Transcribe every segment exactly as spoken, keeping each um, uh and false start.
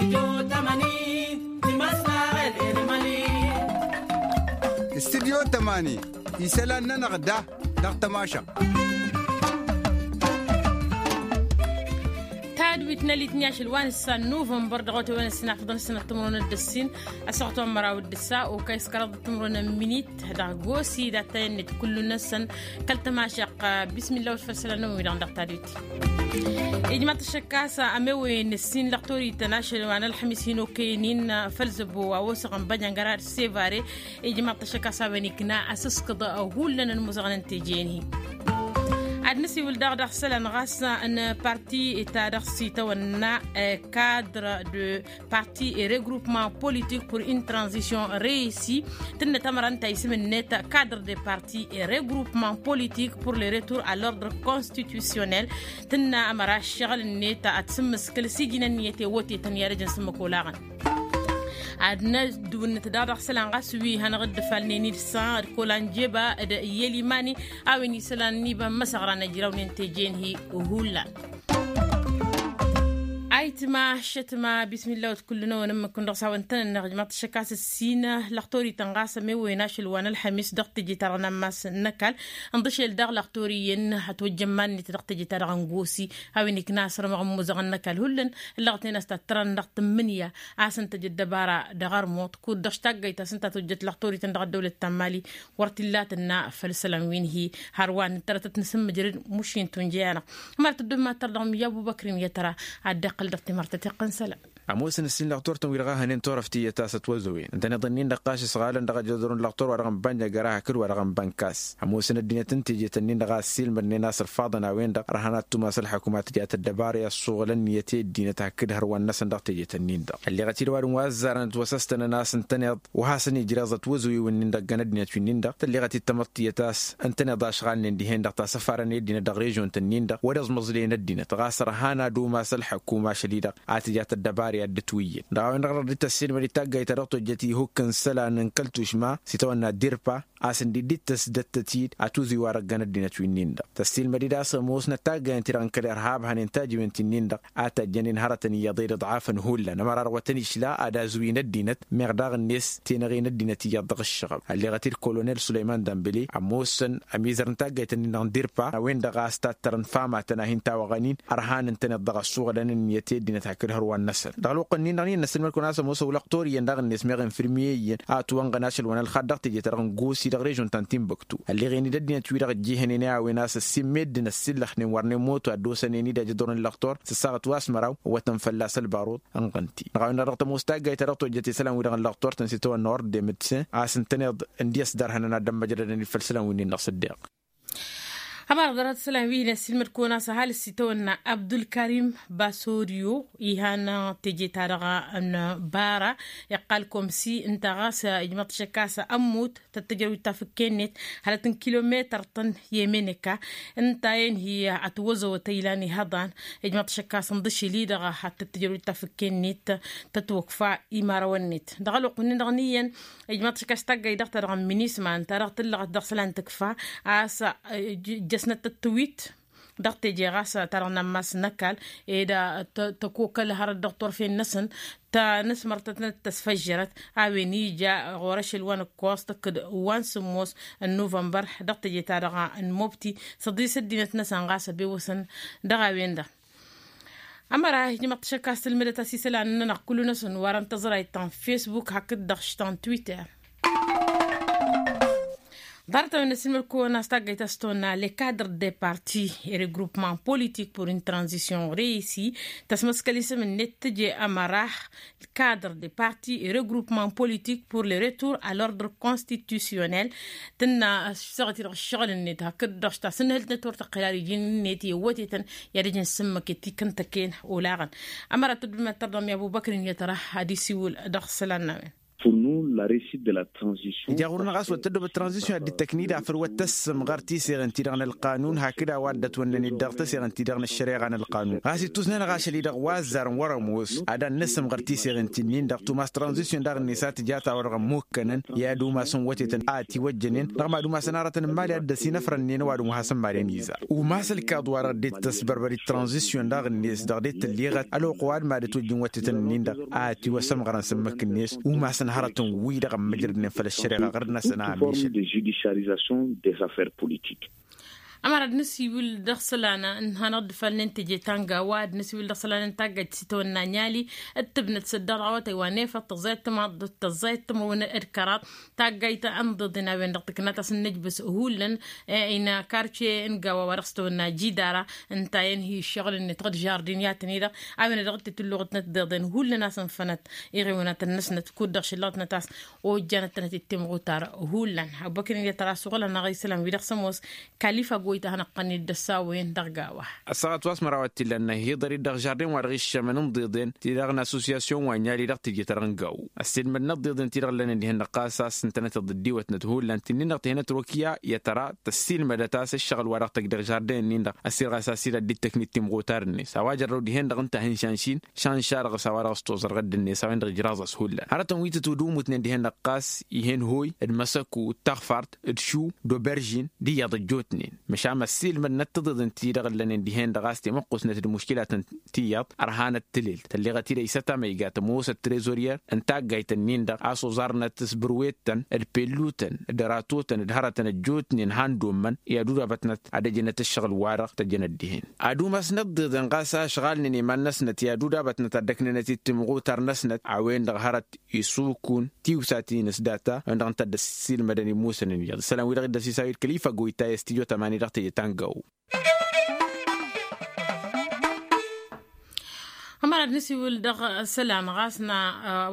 Studyo tămani isălan-nănăɣ da dăɣ-tămašăɣt. Tadwit n-alitni ašăl wa n-ǝssa n-nuvănbăr dăɣ-otewăn ăssinafăḍăn ăssinăt timrăwăn d-ăssin ăsăɣăt wa n-măraw d-ǝssa okăy s-kăraḍ timrăwăn n-minit dăɣ-gosi d-attăyăn-net kullu-năsăn kăl-tămašăɣt. Bismillah wăt făll-isălan-năwăn wi-dăɣ dăɣ-tadwit. Ijmaḍ-t ăššăk a-s ămewăyăn ǝssin lăɣtorităn ašăl wa n-ălxămis hin-okăyăn-in făll-zăbo wa osăɣăn bănjăngărar sevare. Ijmaḍ-t ăššăk a-s a-wen ikna asǝskǝḍ hullan ănmuzăɣăn n-teje-en-hi. Ad-nǝsiwǝl daɣ dăɣ-isălan ɣas n-parti ta dăɣ-s itawănna cadre de parti et regroupement politique pour une transition reussie. Tǝnnăt ămăra ǝnta isǝm-net cadre de parti et regroupement politique pour le retour à l'ordre constitutionnel. Tǝnna ămăra ǝššăɣǝl-net ad-sǝmmǝskǝl s-iji n-ǝnniyăt i-wătetăn i-ad-ăj n-sǝmmǝk olaɣăn. Ad-năddǝwǝnnǝt daɣ dăɣ-isălan ɣas wi hanăɣ-dd-ǝfalnen ilsan d-kolanjeba d-iyyăl imani a-wen isălan n-iba n-imăsăɣra n-ejrawnen teje-en-hi. Hullan. Ayǝtma ăššătma bismillah wăt kullu-năwăn ǝmmǝk-wǝn dăɣ-s a-wăn tăn-ănneɣ ǝjmaḍ-t ăššăk a-s ǝssin lăxtorităn ɣas ămewăyăn ašăl wa n-ălxămis dăɣ-teje-ta-dăɣ n-ammas n-ăkall. Ǝnḍǝšel daɣ lăxtor iyyăn hătwăjjăn iman-net dăɣ-teje-ta-dăɣ n-gosi a-wen ikna asărmăɣ n-imuzăɣăn n-ăkall hullan. Ǝllăɣăt-en a-s tattărăn dăɣ-tǝmmǝnǝya a-s ǝntăj ăddăbara dăɣ-ărmuḍ kud-dăɣ s-taggayt ta s-ǝnta a tojjăt lăxtorităn dăɣ-ăddăwlăt ta n-mali. Wăr t-illa tǝnna făll-isălan wi n-hi hărwa n-ǝttărătăt n-asǝmmǝjrăd mušin tunja-anăɣ. Ămărat ăddob ma tăr dăɣ-mi abubăkrin i-tăra ad-dd-iqqăl dăɣ-timărtăt iqqăn isălan. Ămoosăn ǝssin lăxtor-tăn wi-dăɣ a hănen turăft iyyăt a-s ătwăzăwen ǝntăneḍ-nin-dăɣ ɣas isɣalăn dăɣ-ajădor n-lăxtor wa dăɣ-n banja găra hakd wa dăɣ-n bănkas. Ămoosăn ăddinăt n-teje-tăn-nin-dăɣ a ǝssilmădnen a-s ărfaḍăn a-wen-dăɣ ărhan ad-tumas ălḥăkumat tijat ăddăbara i-ăssuɣǝl ǝnniyăt i-ăddinăt hakd hărwan-năsăn dăɣ-teje-tăn-nin-dăɣ tălleɣăt-dd ăwadǝm wa ăzzarăn ătwăsăstănăn a-s ǝntăneḍ wa hasăn-ijreẓ ătwăzăwen-nin-dăɣ ăggan ăddinăt wi-nin-dăɣ tălleɣăt-dd tamăḍt tiyyăt a-s ǝntăneḍ ašɣalnen dihen-dăɣ tasăfarăn i-ăddinăt dăɣ-režion-tăn-nin-dăɣ wăr-iẓmăẓlăyăn ăddinăt ɣas ărhan ad-umas ălḥăkuma ašăl-i-dăɣ a tǝjat ăddăbara i-ad-dd-ǝtwǝyyǝd dăɣ-a-wen-dăɣ dăɣ-dd-tăssiilmăd i-taggayt ta dăɣ-tojjăt ihukk n-isălan n-kăl-tušma s-itawănna dirpa a-s ǝndidd-dd tăsdăttăt-dd atuzǝy wa dăgg-ănăddinăt wi-nin-dăɣ tăssiilmăd-dd a-s ămoosnăt taggayăn-ti-dăɣ n-kăl-irhab hănen tajiwen-ti-nin-dăɣ a tajjănen hărătăn iyyăḍ i-dd ăḍɣafăn hullan ămăra dăɣ-wătăn išla ad-azǝwǝyăn ăddinăt meɣ daɣ-net tenăɣen ăddinăt iyyăḍ dăɣ-ǝššăɣăb. Ălleɣăt-dd kolonel sulăyman dambăle ămoosăn ămizăr n-taggayt-nin-dăɣ n-dirpa a-wen-dăɣ a-s tattărăn famatăn a hin-tawăɣăn-in ărhan ǝntăneḍ dăɣ-ăssuɣǝlăn ǝnniyăt i-ăddinăt hakd hărwan-năsăn. Dăɣ-ălwăqq-nin-dăɣ n-iyyăn n-ăssilmăd-kăwăn a-s ămoos ăwlăɣ tor iyyăn daɣ-net meɣ infirmye iyyăn a ătwănɣăn ašăl wa n-ălxaḍ dăɣ-teje-ta-dăɣ n-gosi dăɣ-režion ta n-tinbăktu ălleɣen-dd ăddinăt-wi-dăɣ ǝjjǝhnen i-a-wen a-s ăssimmedden ăssillăxnen wărnen moto ad-dd-osănen-dd ajăḍur n-lăxtor s-ăssaɣăt wa s-măraw ăwwătăn fălla-s ălbaruḍ. Ănɣăn-t-i dăɣ-a-wen-dăɣ dăɣ-tămoos taggayt ta dăɣ-tojjăt isălan-wi-dăɣ n-lăxtor-tăn s-itawănna ordre medecin a-s ǝntăneḍ ǝndi ăsdărhănăn ad-dd-ămmăjrădăn-dd făll-isălan wi-nin-dăɣ s-ăddeɣ. Ămăra ḍarăt isălan wi n-ăssiilmăd-kăwăn a-s ăhalǝs itawănna abdulkarim basorio ihan teje-ta-dăɣ n-bara iqqal komsi ǝnta ɣas ijmăḍ-t šăkk a-s ămmut tăt-tǝjrăw d-tafǝkke-net hălăt n-kilometăr-tăn i-emeneka. Ǝnta-en hi-ătwăzăwăt ăylan ihăḍan ijmăḍ-t šăkk a-s ǝnḍǝšǝl-i-dăɣ ad-tăt-tǝjrăw d-tafǝkke-net tăt-wăkfa imărawăn-net dăɣ-ălwăqq-nin-dăɣ n-iyyăn. Ijmăḍ-t šăkk a-s taggayt dăɣ-ta-dăɣ n-minisma ǝnta dăɣ-tǝllăɣăt dăɣ-isălan tǝkfa a-s ǝjjăsnăt tăt-tǝwit dăɣ-teje ɣas ta-dăɣ n-ammas n-ăkall ed tăkokăl hărăt dăɣ-turfen-năsăn tanăsmăr-tăt n-ad-tăsfăjjărăt. A-wen ija ɣur-ašăl wa n-ǝkkoẓ tăkk-dd wa n-sǝmmos n-nuvănbăr dăɣ-teje-ta-dăɣ n-mobti săḍis ăddinăt-năsăn ɣas ăbewăsăn dăɣ-a-wen-dăɣ. Ămăra ijmăḍ-t šăkk a-s tǝlmǝdăt a-s isălan-nănăɣ kullu-năsăn wa dăɣ-n tăẓrayt ta n-fesbuk hakd-dăɣ š-ta n-twitter. Ḍarăt-a-wen n-ăssilmăd-kăwăn a-s taggayt a-s tăwănna le cadre de parti et regroupement politique pour une transition reussie tăsmăskăl isǝm-net tǝje ămăra cadre de parti et regroupement politique pour le retour à l'ordre constitutionnel. Tǝnna ăssăɣăt-i-dăɣ ǝššăɣǝl-net hakd-dăɣ š-tasǝnhǝlt-net wăr tăqqǝl ad-iji-net i-ăwwătetăn i-ad-ăj n-sǝmmăket ikăn tăkken olaɣăn. Ămăra tăddumat tărdăm i-abubăkr-in i-ad-tăra ad-isiwǝl dăɣ-isălan n-a-wen. Ija ɣur-năɣ a-s wăr tăddoobăt tranzisyon ad-dd-tăknida făll-wăr tăssǝmɣăr tiseɣen-ti-dăɣ n-ălqanun hakd a-wa dd-ătwănnăned dăɣ-teseɣen-ti-dăɣ n-ăššăreɣa n-ălqanun ɣas ittusnen ɣašăl-i-dăɣ wa ăzzarăn wăr-ămoos ad-ad-nǝsǝmɣăr tiseɣen-ti-nin-dăɣ tumas tranzisyon daɣ-net a tǝja a-ta-wa-dăɣ ămmukkănăn i-ad-umasăn wătetăn a ătiwăjjănen dăɣ-mad-umasăn hărătăn n-imali a dd-ăsinăfrănnen ăwadǝm wa hasăn-mad-en iza umas ălkaḍ-wa-dăɣ dd-tăsbărbăr d-tranzisyon daɣ-net dăɣ-dd-tǝlliɣăt ălwăqq ăwadǝm a dd-ătwăjjǝn wătetăn-nin-dăɣ a ătiwăsămɣărăn s-ǝmmǝk-net umasăn hărătăn-wi-dăɣ ămmǝjrădnen făll-ăššăreɣa ɣǝr-năsăn a ămišăl. Ămăra d-nǝsiwǝl dăɣ-isălan n-hanăɣ-dd-falnen teje ta n-gawa d-nǝsiwǝl dăɣ-isălan n-taggajt s-itawănna ănyali d-tǝbnăt s-ăddăraw a tăywa n-efăḍ tăẓẓayăt tămaḍt tăẓẓayăt tămăwăn d-kăraḍ taggajt n-iḍeḍen a-wen-dăɣ tǝknat a-s n-nejbǝs hullan ină karce n-gawa wa dăɣ-s tawănna jidara ǝnta i-ănhǝy ǝššăɣǝl-net ɣǝd žardin i-ad-tăn-i-dăɣ a-wen-dăɣ d-titǝlluɣătnăt d-iḍeḍen hullan a-s ǝnfănăt iɣewnăt n-năsnăt kud-dăɣ šǝllăɣătnăt a-s ojjanăt-tănăt i-timɣutar hullan. Abăkănen i-ad-tăra asuɣǝl-anăɣ isălan-wi-dăɣ s-ămoos kalifa goyta a hanăɣ-tăn-dd-ăssawăyăn dăɣ-gawa. Ăssaɣăt wa s-măraw ad-t-illa ănnăhiḍăr-dd dăɣ-žardin wa dăɣ-iššămăn n-iḍeḍen ti-dăɣ n-assosyasyon wa n-yali dăɣ-teje-ta-dăɣ n-gawo ăssiilmădnăt d-iḍeḍen ti-dăɣ ǝllănen dihen-dăɣ ɣas a-s ǝntănăt iḍǝddiwătnăt hullan ti-nin-dăɣ tihănăt rokiya i-ad-tăra tăssiilmădăt a-s ǝššăɣǝl wa dăɣ-tăjj dăɣ-žardin-nin-dăɣ ăssiilɣas a-s ila dd-tăknit timɣutar-net a-wa jărrăw dihen-dăɣ ǝnta a hin-šanšin šanša dăɣ-s a-wa dăɣ-s toẓăr ɣǝdd-net a-wen-dăɣ ǝjraẓ-as hullan hărătăn wi tǝtwǝdǝwǝmutnen dihen-dăɣ ɣas ih'-en hoy d-măsăku d-taɣfart d-šu d-oberžin d-iyyăḍ ăjjootnen măšan ăssiilmădnăt tiḍeḍen ti-dăɣ ǝllănen dihen-dăɣ a-s temăqqusnăt d-muškilatăn tiyyăḍ ărhanăt tǝlelt tălleɣăt-dd ăysăt amăyga tămoosăt trezoryer n-taggayt-nin-dăɣ a-s oẓarnăt s-bărwet-tăn d-pellutăn d-ratotăn d-hărătăn ăjjootnen han-dd-ommăn i-ad-udabătnăt ad-ăjănăt ǝššăɣǝl-wa-dăɣ tăjjănăt dihen ad-umasnăt d-iḍen ɣas ašɣalnen iman-năsnăt i-ad-udabătnăt ad-dd-ăknănăt i-timɣutar-năsnăt a-wen-dăɣ hărăt isukun tiwsaten s-data a-wen-dăɣ ǝnta a dd-ăssiilmădăn imusăn n-iyyăḍ isălan-wi-dăɣ dd-ăsisawed kăl-ifa goyta i-s tijo tămani dăɣ-teje ta n-gawo. Ămăra d-nǝsiwǝl dăɣ-isălan ɣas n-a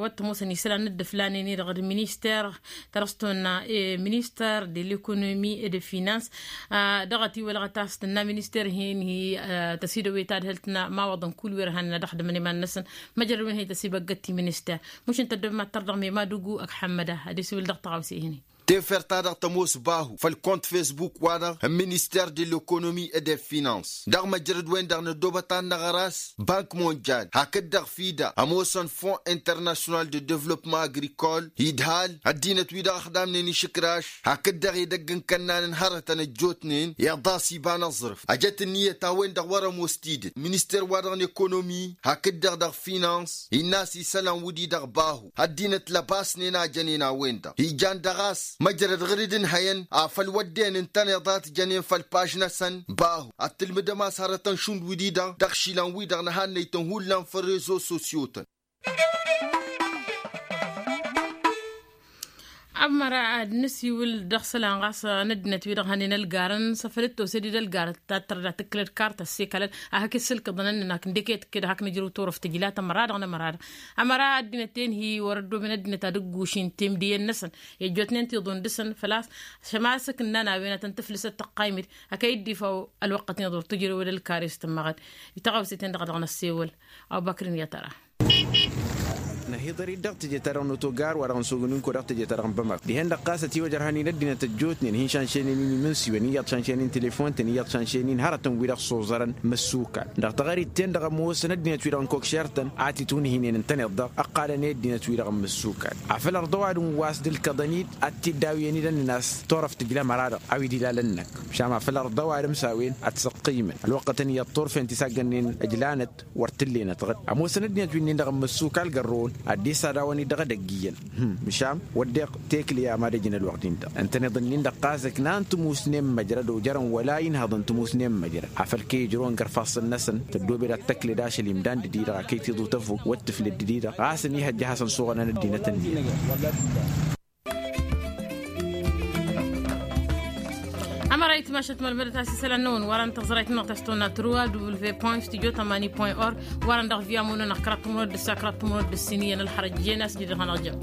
wăr t-ămoosăn isălan n-dd-ǝflanen-i-dăɣ d-minister ta dăɣ-s tonna minister de l'economie et de finance dăɣ-ătiwălăɣăt a-s tǝnna minister hin-hi tăsidăwet adhǝlt n-imawăḍăn kull wi ărhanen ad-ăxdǝmăn iman-năsăn măjrăd wi n-hi tăsibăggăt ti-minister mušǝn tăddobem ad-tărdăɣ mema d-ugu ăgg ḥămmăda ad-isiwǝl dăɣ-tăɣawse-hin-i. Tefert-ta-dăɣ tămoos bahu făll-kont fesbuk-wa-dăɣ n-minister de l'economie et de finance dăɣ-măjrăd-wen-dăɣ năddoobăt ad-năɣăr a-s bank monjal hakd-dăɣ fida ămoosăn fon international de devlopma agrikol idhal ăddinăt-wi-dăɣ ăxdamnen išǝkraš hakd-dăɣ edăgg n-kănnan n-hărătăn ăjjootnen iḍas iba n-aẓrǝf ăjăt ǝnniyăt a-wen-dăɣ wăr-ămoos tidǝt minister-wa-dăɣ n-ekonomi hakd-dăɣ dăɣ-finans innă a-s isălan wǝddi-dăɣ bahu ăddinăt lăbasnen a jănen a-wen-dăɣ ijan dăɣ-a-s măjrăd ɣǝr-dd ǝnhăyăn afăl wădden ǝntăneḍ a t-jănen făll-paž-năsăn bahu ad-tǝlmǝdăm a-s hărătăn šund wǝddi-dăɣ dăɣ-išilan-wi-dăɣ n-ehăn năytăn hullan făll-rezo sosyo-tăn. Ămmăra ad-nǝsiwǝl dăɣ-isălan ɣas n-ăddinăt-wi-dăɣ hănen ălgarăn s-afăl d-tose-dd ălgarăt ta t-tărda tǝkkǝlăd kart ăssekălăn ad-hak-issǝlkǝḍăn ǝnnăn hak n-deket kăd hak nǝjrǝw turăft tǝjla tămăra-dăɣ n-ămăra-dăɣ ămăra ad-ăddinăt-en hi-wăr-ăddoben ăddinăt ad-ǝggušin temdǝyen-năsăn i-ăjjootnen tiḍun dăɣ-săn făl-a-s šăma s-ǝkǝnnan a-wen ad-tăn-tǝflǝsăt tăqqaymǝd hak a iddifăw ălwăqqăt n-iḍur tǝjrǝwăd ălkare s-tǝmmăɣăd. I-taɣawse-ten-dăɣ dăɣ-năssewăl. Abubăkr-in i-ad-tăra. Năhiḍăr-dd dăɣ-teje-ta-dăɣ n-otogar wa dăɣ-nǝsogăn inko dăɣ-teje-ta-dăɣ n-bămak dihen-dăɣ ɣas ătiwăj ărhan-in ăddinăt ăjjootnen hin-šanšăynen-in imǝnsiwen iyyăḍ šanšăynen telefon-tăn iyyăḍ šanšăynen hărătăn-wi-dăɣ s-oẓărăn măssukal dăɣ-taɣărit-ten-dăɣ ămoosăn ăddinăt-wi-dăɣ n-kokšer-tăn a t-itunhǝynen ǝntăneḍ-dăɣ ǝqqalăn i-ăddinăt-wi-dăɣ n-măssukal afăl ărḍăwad n-wa s-dd-ǝlkăḍăn-dd ad-t-dd-awǝyăn-dd ănnăn a-s turăft tǝjla ămăra-dăɣ a-wi d-ilalăn-năk. Măšan afăl ărḍăwad ǝmsawen ătsăqqimăn ălwăqqătăn iyyăḍ turfen ti s-aggănnen ǝjlanăt wăr t-ǝllenăt ɣǝd ămoosăn ăddinăt wi-nin-dăɣ n-măssukal gărrăwăn ad-dd-isad a-wăn-dd dăɣ-edăgg iyyăn. Măšan wădden tekle i-amad ăjǝn ălwăqq-din-dăɣ ǝntăneḍ-nin-dăɣ ɣas ǝknan tǝmusnen măjrăd ojărăn wăla inhăḍăn tǝmusnen măjrăd afăl kăy-ijrăwăn gărfassăn-năsăn tăddobed ad-tăkled ašăl imdan d-di-dăɣ a kăy-tiḍu tăfuk wăr t-tǝfled d-di-dăɣ ɣas ănihăjja ad-hasăn-suɣănăn ăddinăt-nin. Ămăra itmašăt mălmădăt a-s isălan-năwăn wăren tăẓrayt-nănăɣ ta s-tăwănna truwa w point studio tămani point org wăren dăɣ-via munănăɣ kăraḍ tǝmrăwăt d-ǝssa kăraḍ tǝmrăwăt d-ǝssin iyyăn ălxărăt jen a-s jidăɣ hanăɣ-jăm.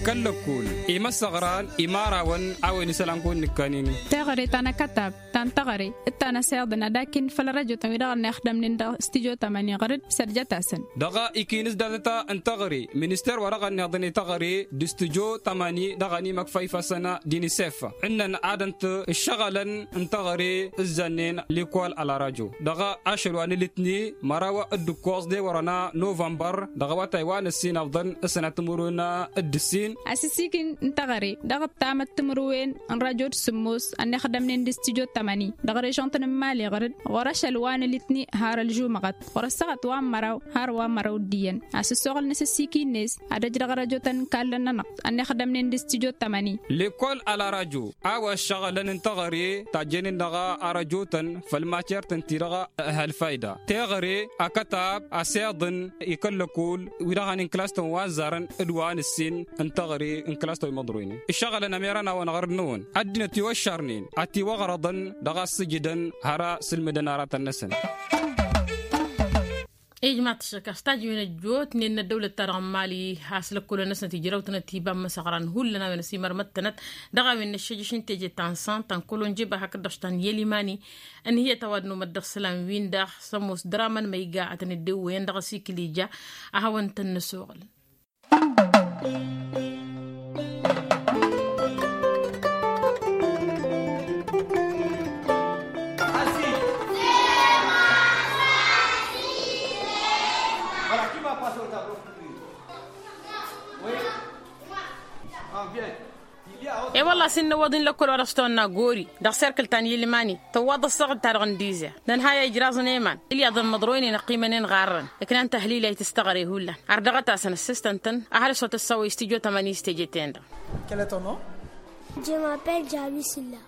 Kăl-lăkkul imăssăɣran imărawăn a-wen isălan kăwăn-nǝkkănen. Teɣăre ta n-akătab ta n-teɣăre d-ta n-asiḍăn ad-akin făll-ărăjotăn wi-dăɣ ănnixdămnen dăɣ-s tijo tămani ɣăr-dd sărjăt-asăn. Dăɣ-ikinǝs datăt n-teɣăre minister wa dăɣ-ănniḍăn i-teɣăre d-s tijo tămani dăɣ-ănimăkfa ifăsăn d-inisef ǝnnăn ad-ǝnta ǝššăɣǝlăn n-teɣăre ǝzzănnen likol ălarajo dăɣ-ašăl wa n-ilǝtni măraw d-ǝkkoẓ d-ewărăn a novănbăr dăɣ-awătay wa n-ǝssin ăfḍăn s-sănat timǝrwen d-ǝssin. Asǝssikǝn n-teɣăre dăɣ-ăttamăt timǝrwen n-rajo d-sǝmmos ănnixdămnen d-s tijo tămani dăɣ-režăn-tăn n-imali ɣăr-dd ɣur-ašăl wa n-ilǝtni har ălžumăɣăt ɣur-ăssaɣăt wa n-măraw har wa n-măraw d-iyyăn. Asǝssoɣăl n-asǝssikǝn-net ad-ăj dăɣ-răjotăn n-kallăn-nănăɣ ănnixdămnen d-s tijo tămani. Lekol ălarajo a-wa ăššăɣǝlăn n-teɣăre tajjănen dăɣ-arăjotăn făll-matyert ǝnta-i-dăɣ ăhăl fayda teɣăre akătab asiḍăn i-kăl-lăkkol wi-dăɣ hanen kǝlas-tăn wa n-zarăn d-wa n-ǝssin n-teɣăre n-kǝlas-tăn wi măḍroynen ǝššăɣǝlăn ămerăn-awăn ɣăr-năwăn ăddinăt iwăššărnen ătiwăɣrăḍăn dăɣ-a ǝssǝjǝdăn har a sǝlmǝdăn aratăn-năsăn. Ijmaḍ-t ăššăk a-s tajǝwen ăjjootnen n-ăddăwlăt-ta-dăɣ n-imali a-s lăkkolăn-năsnăt ijrăw-tănăt iba n-imăsăɣran hullan a-wen ăsimărmăd-tănăt dăɣ-a-wen n-ăššejăš n-teje ta n-san ta n-kolonjeba hakd-dăɣ ta n-yelimani. Ǝnhǝyăt a-wa dd-nomăt dăɣ-isălan-win-dăɣ s-ămoos dăr-amăn ma iga ad-tăn-dd-ewwăyăn dăɣ-asikǝl ija. A hawăn-tăn-năsoɣǝl. E-wălla a-s innă ăwwăḍ-in lăkkol wa dăɣ-s tăwănna gori dăɣ-serkǝl ta n-yilmani tăwwaḍ ăssaɣăt-ta-dăɣ n-dizăr. Nănhăy a ijraẓăn i-iman ilyaḍăn măḍroynen ăqqimănen ɣarrăn ǝknan tăhlila i-tǝstăɣre hullan. Ar dăɣ-ătasăn ăssistăn-tăn ăhalǝs wa tǝssawăy s-tijo tămani s-teje-ten-dăɣ. Quel est ton nom? Je m'appelle Jabi Silla.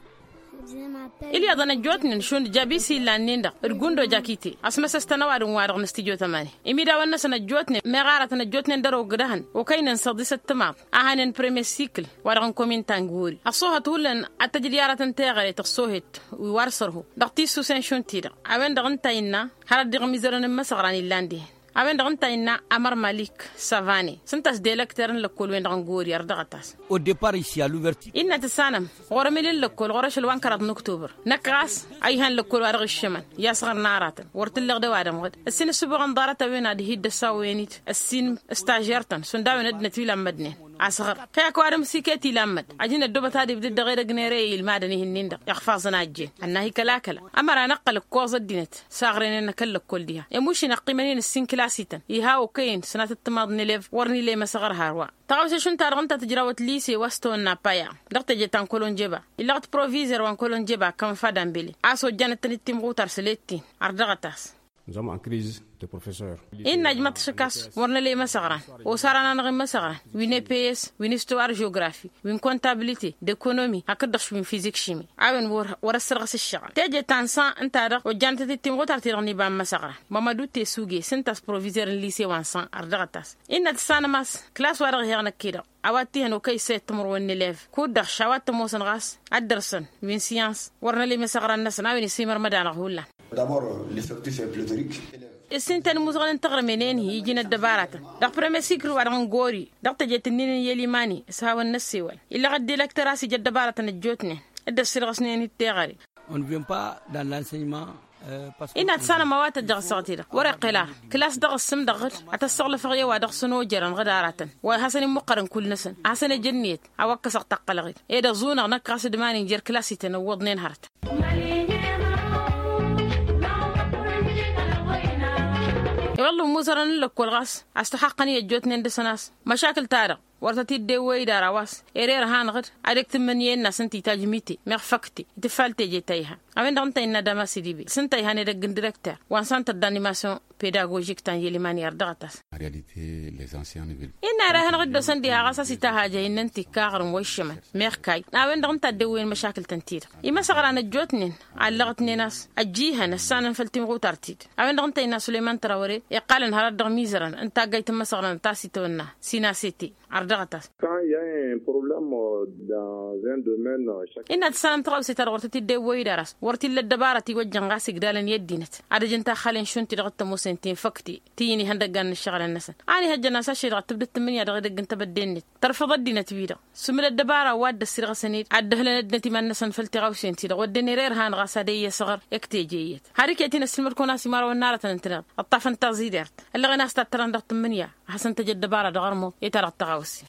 Ilyaḍăn ăjjootnen šund jabisi illan-nin-dăɣ d-gundo jakite. Ăsmăsăs-tăn ăwadǝm-wa-dăɣ n-stijo tămani imidawăn-năsăn ăjjootnen meɣ aratăn ăjjootnen dăr-ogdăhăn okăynen săḍisăt timaḍ a hanen premier sikl wa-dăɣ n-komin ta n-gori ăṣṣoohăt hullan ad-tăj d-i-aratăn teɣăre tăṣṣoohet wi wa d-sărho dăɣ-tissusen šund-ti-dăɣ. A-wen-dăɣ ǝnta a innă hărăt d-iɣmizărăn n-imăsăɣran illan dihen. A-wen-dăɣ ǝnta a innă amăr malik savane s-ǝnta a-s delăkter n-lăkkol-wen-dăɣ n-gori ărdăɣăt-as. Au depart ici à l'ouverture. Innă tǝssanăm ɣur-emil n-lăkkol ɣur-ašăl wa n-kăraḍ n-oktobăr. Năkk ɣas a ihan lăkkol wa dăɣ-iššămăn i-asɣăr n-aratăn wăr t-ǝlleɣ d-ăwadǝm ɣǝd ǝssin ǝssǝboɣăn ḍarăt-a-wen ad-hi-dd-ăssawăyăn-dd ăssin stažer-tăn šund a-wen ăddinăt wi lammădnen. Asɣăr kăy-ak ăwadǝm s-iket ilammăd. Ajǝn ăddoobăt ad-ibdǝd dăɣ-edăgg n-ere i-ilmadăn-ihin-nin-dăɣ iɣfaẓăn a ăjjeen ănn-ahi kăla-kăla. Ămăra năqqăl ǝkkoẓ ăddinăt s-aɣrăynen akăl lăkkol diha. Emušin ăqqiimăn-in ǝssin kǝlas-ităn iha okăyăn sănatăt timaḍ n-elev wăr nǝla i-imăsăɣăr hărwa. Taɣawse-šund-ta-dăɣ ǝnta tǝjrawăt lise wa s-tăwănna paya dăɣ-teje ta n-kolonjeba. Illăɣ-t provizăr wa n-kolonjeba kămăfad ambele a-s ojjanăt-tăn-dd timɣutar s-let-in. Ărdăɣăt-as. Nzăm ankriz. Innă ajmăḍ-t šăk a-s wăr năla imăsăɣran. Osar-anănăɣ imăsăɣran wi n-eps wi n-istuwar žografi wi n-kontabilite d-ekonomi hakd-dăɣ wi n-fizik šimi. A-wen wăr-ăssărɣăs ǝššăɣăl teje ta n-san ǝnta-dăɣ ojjanăt-t-dd timɣutar-ti-dăɣ n-iba n-imăsăɣran. Mămădu tesuge s-ǝnta a-s provizăr n-lise wa n-san ărdăɣăt-as. Innă tǝssanăm a-s klas-wa-dăɣ iheɣ năkk-i-dăɣ a-wa t-ihăn okăy issăyăt timǝrwen n-elev kud-dăɣ š-a-wa t-ămoosăn ɣas ad-dăr-săn wi n-siyans wăr năla imăsăɣran-năsăn a-wen isǝmărmăd-anăɣ hullan. D'abord l'effectif est pléthorique. Ǝssin-tăn imuzăɣăn n-taɣrǝmen enhi iji n-ăddăbaratăn dăɣ-premier sikl wa-dăɣ n-gori dăɣ-tejet-ǝnnin n-yelimani s-hawăn-năssewăl. Illăɣ ăddilăktăr a-s ija ăddăbaratăn ăjjootnen dd-ăssirɣăsnen-dd teɣăre. On vient pas dans l'enseignement. Innă ad-sanăm a-wa tăjjăɣ ăssaɣăt-i-dăɣ wăr-iqqel ara klas dăɣ-ǝssǝm dăɣ-dd ad-t-ăssăɣlăfăɣ i-a-wa dăɣ-săn ojărăn ɣǝd aratăn wa hasăn-immăqqărăn kull-năsăn ad-hasăn-ăj ǝnniyăt. A-wa ǝkkăsăɣ taqqălăɣ-dd ed ăẓunăɣ năkk ɣas d-iman-in jer-klas-ităn ǝwwăḍnen hărăt. I-wălla ǝmmuzărăn n-lăkkol ɣas a-s tăxaqqăn i-ăjjootnen dăr-săn a-s măšakǝl-ta-dăɣ wăr tăt-dd-ewwăy d-ara wa s-ere irhan ɣǝd ad-ǝktǝmmǝnǝyăn-in a-s ǝnta itajj mite meɣ făkte. Tǝffal teje ta ihan a-wen-dăɣ ǝnta a innă dama s-idibe s-ǝnta a ihan edăgg n-direkter wa n-santăr d-animasyon pedagožik ta n-yeliman i-ărdăɣăt-as. Innă ere hanăɣ-dd-osăn diha ɣas a-s itahaj a innă ǝnta ikka aɣrǝm wa iššămăn meɣ kayy. A-wen-dăɣ ǝnta a dd-ewwăyăn măšakǝl-tăn-ti-dăɣ imăsăɣran ăjjootnen. Allăɣ-tnen a-s ăjjihăn ăssanăn făll-timɣutar-ti-dăɣ a-wen-dăɣ ǝnta a innă sulăyman trawăre iqqalăn hărăt dăɣ-imizărăn n-taggayt n-imăsăɣran ta s-itwănna sinasete. Ărdăɣăt-as. Problăm dans un domaine. Innă tǝssanăm tăɣawse ta dăɣ-wăr tăt-dd-ewwăy-dd aras wăr t-illa ăddăbara ti wăjjăn ɣas igdalăn i-ăddinăt ad-ăjăn taxxalen šund-ti-dăɣ t-ămoosăn tinfăkti ti-ǝnihăndăggan n-ǝššăɣǝlăn-năsăn. Anihăjjăn a-s ašăl dăɣ-tǝbdǝt tǝmmǝnǝya dăɣ-edăgg n-tebădde-net tărfăḍ ăddinăt-wi-dăɣ sǝmǝl ăddăbara wa dd-ăssirɣăsăn-dd ad-dd-ăhlăn ăddinăt iman-năsăn făll-tiɣawsen-ti-dăɣ wădden ere irhan ɣas ad-e-iyyăsăɣăr. Iktejeyăt har iket-in ăssǝlmăd-kăwăn a-s imărawăn n-arătăn ǝntăneḍ ǝṭṭafăn taẓidert ăllăɣen a-s tattărăn dăɣ-tǝmmǝnǝya ad-hasăn-tăj ăddăbara dăɣ-armo i-ta-dăɣ tăɣawse.